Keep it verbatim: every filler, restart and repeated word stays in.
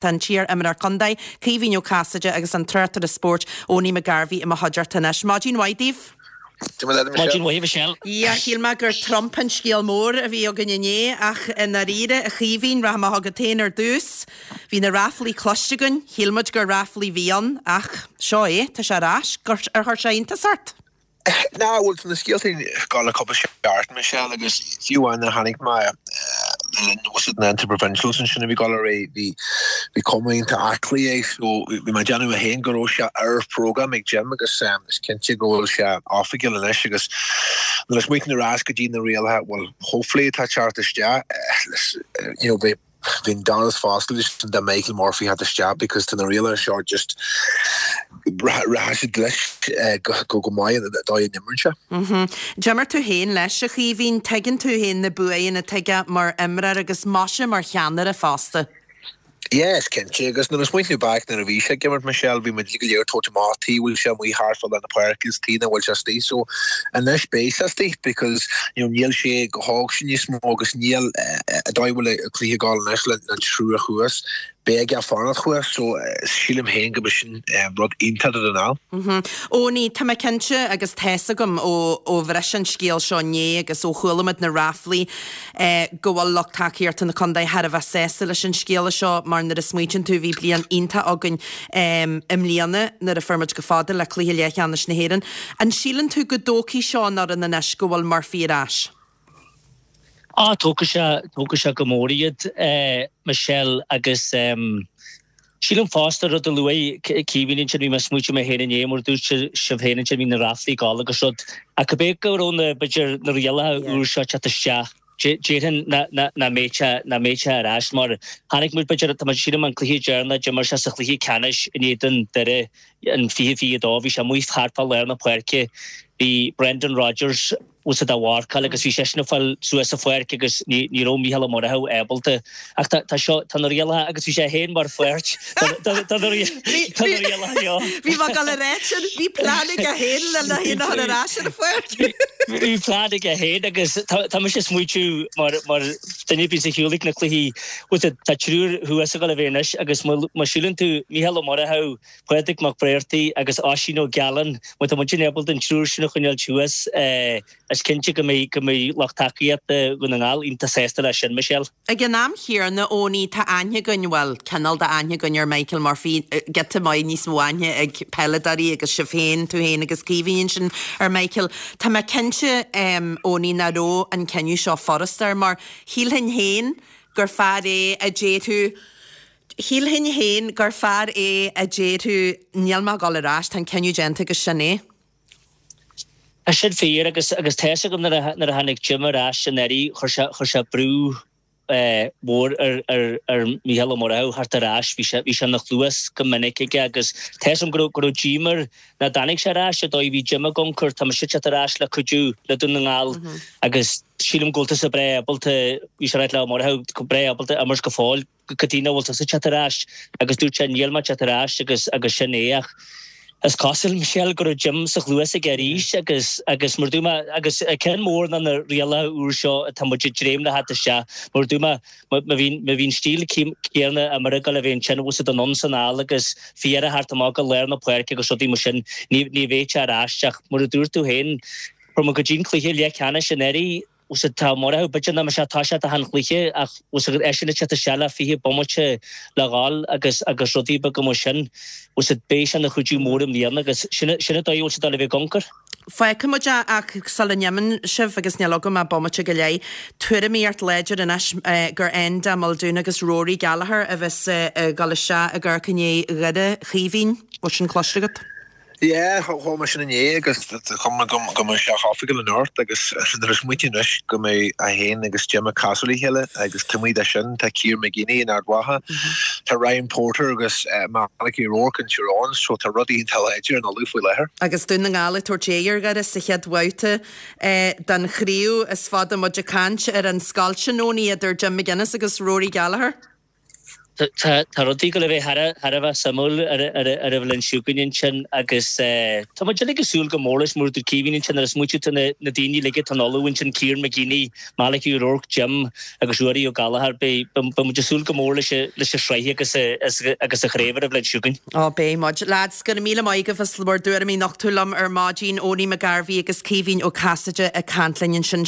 Tá an t-iar-imreoir contae, Caoimhín Ó Casaide agus an tráchtaire spóirt, Owenie McGarvey i mo chuideachta anois. Maidin mhaith daoibh. Maidin mhaith Michelle. Yeah, shíl mé gur Trump an scéal mór a bhí againn inné ach i ndáiríre a Chaoimhín, rachaidh mé chugat féin ar dtús. Bhí na ráflaí cloiste againn, shíl muid gur ráflaí a bhí ann ach seo é, tá sé ar ais. Ar chuir sé iontas ort? Ná bhuel tá na scéalta ag gabháil le cúpla seachtain Michelle agus fiú amháin nuair a chonaic mé le linn was it na interprovincials ansin a bhí ag gabháil ar aghaidh bhí bhí cuma iontach aclaí air so bhí mé ag déanamh mé féin go raibh sé ar program ag Jim agus is cinnte go bhfuil sé oifigiúil anois agus nuair a smaoiníonn ar ais go dtí na rialacha bhuel hopefully atá ag teacht isteach you know bhí bhí an doras foscailte do Michael Murphy theacht isteach because tá na rialacha seo just rachaidh siad leis go go maith an dóigh a n-imríonn sé. D'imir tú féin leis a Chaoimhín, tuigeann tú féin na buanna atá aige mar imreoir agus maise mar cheannaire fosta. Yeah, is cinnte agus nuair a smaoiníonn tú back nuair a bhí sé ag imirt Michelle bhí muid go léir ag tabhairt amach tuige bhfuil sé amuigh thart fá lár na páirce is tuige nach bhfuil sé istigh so anois beidh sé istigh because you know níl sé chomh hóg sin níos mó agus níl an dóigh a bhfuil an cluiche ag gabháil anois le an triúr thuas beidh aige fanacht thuas so sílim féin go sin rud iontach do Dún na nGall. Owenie, tá mé cinnte agus tá's agam ó ó bhris an scéal seo inné agus ó chuala muid na ráflaí go bhfuil lucht tacaíochta na contae thar a bheith sásta leis an scéala seo mar nuair a smaoitíonn tú bhí bliain iontach againn i mbliana nuair a fuair muid go fada le cluiche leathcheannais na hÉireann. An síleann tú go dtógfaidh seo an fhoireann anois go bhfuil Murphy ar ais? Á tógfaidh sé tógfaidh sé go mór iad Michelle agus sílim fosta rud a luaigh Caoimhín ansin bhí mé ag smaointiú mé féin inné mar dúirt sibh féin ansin bhí na ráflaí ag gabháil agus rud ach cibé go raibh na b'fhéidir na rialacha úr seo teacht isteach déarfainn nach mbeidh sé nach mbeidh sé ar ais mar chonaic muid b'fhéidir tá muid sílim an cluiche deireanach d'imir sé sa chluiche ceannais in éadan Doire in fiche fiche a dó bhí sé amuigh thart fá lár na páirce bhí Brendan Rogers was dá mharcáil agus bhí seisean ag fáil suas sa pháirc agus ní ní raibh Mícheál Ó Murchú ábalta ach tá tá seo tá na rialacha agus bhí sé féin mar pháirt tá na rialacha seo. Bhí mé ag dul a rá sin bhí plean aige féin le le hé a chur ar ais ar an pháirc. Bhí plean aige féin agus tá tá mise ag smaointiú mar mar duine a bhíonns ar shiúl ag na cluichí was tá triúr thuas ag dul a bheith anois agus má má síleann tú Mícheál Ó Murchú, Pádraig Mac Bréartaigh agus Oisín Ó Gealláin má tá muid ábalta an triúr sin a choinneáil thuas is cinnte go mbeidh go mbeidh lucht tacaíochta Dhún na nGall iontach sásta leis sin, Michelle. Ag an am chéanna, Owenie, tá aithne againn, bhuel, cineál d'aithne againn ar Michael Murphy, giota maith níos mó aithne ag peileadóirí agus sibh féin, tú féin agus Caoimhín ansin ar Michael. Tá mé cinnte, Owenie, nach raibh an cinneadh seo furasta air mar shílfinn féin gur fear é a déarfadh, shílfinn féin gur fear é a déarfadh níl mé ag dul ar ais, tá an cinneadh déanta agus sin é. Tá sin fíor agus agus tá's agam nuair a nuair a tháinig Jim ar ais anuraidh chuir sé chuir sé brú mór ar ar ar Mícheál Ó Murchú theacht ar ais bhí sé bhí sé ina chluas go minic aige agus tá's agam go raibh go raibh díomá air nach dtáinig sé ar ais an dóigh a bhí Jim ag amharc tá mise ag teacht ar ais le cuidiú le Dún na nGall agus sílim go bhfuil tusa breá ábalta bhí sé ag ráit le Ó Murchú go breá ábalta imirt go fóill cad chuige nach bhfuil tusa ag teacht ar ais agus dúirt sé níl mé ag teacht ar ais agus agus sin é ach is cosúil Michelle go raibh Jim sa chluas aige arís agus agus mar dúirt mé agus ceann mór ná na rialacha úr seo atá muid ag dréim le theacht isteach mar dúirt mé má bhíonn má bhíonn stíl céanna imeartha ag dul a bheith ansin bhfuil siad anonn is anall agus fear a theacht amach go lár na páirce agus rudaí mar sin ní ní bheidh sé ar ais ach mar a dúirt tú féin fuair muid go dtí an cluiche leathcheannais anuraidh was tá Murchú b'fhéidir nach mbeidh sé toiseacht achan chluiche ach was eisean ag teacht isteach le fiche bomaite le dhul agus agus rudaí beaga mar sin was beidh sé ina chuidiú mór i mbliana agus sin sin an dóigh a bhfuil sé dul a bheith ag amharc. Fágfaidh muid é ach sula n-imíonn sibh agus níl agam ach bomaite go leith, tuairimíocht láidir anois gur Enda Muldoon agus Rory Gallagher a bheas ag dul isteach ag amharc i ndiaidh Dhoire Chaoimhín. Bhfuil sin cloiste agat? Yeah, chuala mé sin inné agus chuma go go mbeidh sé oifigiúil anocht agus nuair a smaoiním anois go mbeidh é féin agus Jim ag casadh le chéile agus taobh amuigh de sin tá Ciarán McGeeney in Ard Mhacha, tá Ryan Porter agus Malachy O'Rourke in Tyrone so tá rudaí iontach láidir in Uladh faoi láthair. Agus Dún na nGall ag tabhairt aghaidh ar Dhoire sa chéad bhabhta den chraobh is fada muid ag caint ar an scoilt sin, Owenie, idir Jim McGuinness agus Rory Gallagher. Tá rudaí ag gabháil a bheith thar a bheith suimiúil ar an bhliain seo chugainn ansin agus tá muid uilig ag súil go mór leis mar a dúirt Caoimhín ansin nuair a smaoitíonn tú na daoine uilig atá in ullamh ansin, Kieran McGeeney, Malachy O'Rourke, Jim agus Ruairí Ó Gallchóir, beidh muid ag súil go mór leis an sraith agus agus an chraobh ar an bhliain seo chugainn. Ó beidh muid. Lads, go raibh míle maith agaibh as bhur dtuairimí a nochtadh liom ar maidin, Owenie McGarvey agus Caoimhín Ó Casaide ag caint linn ansin.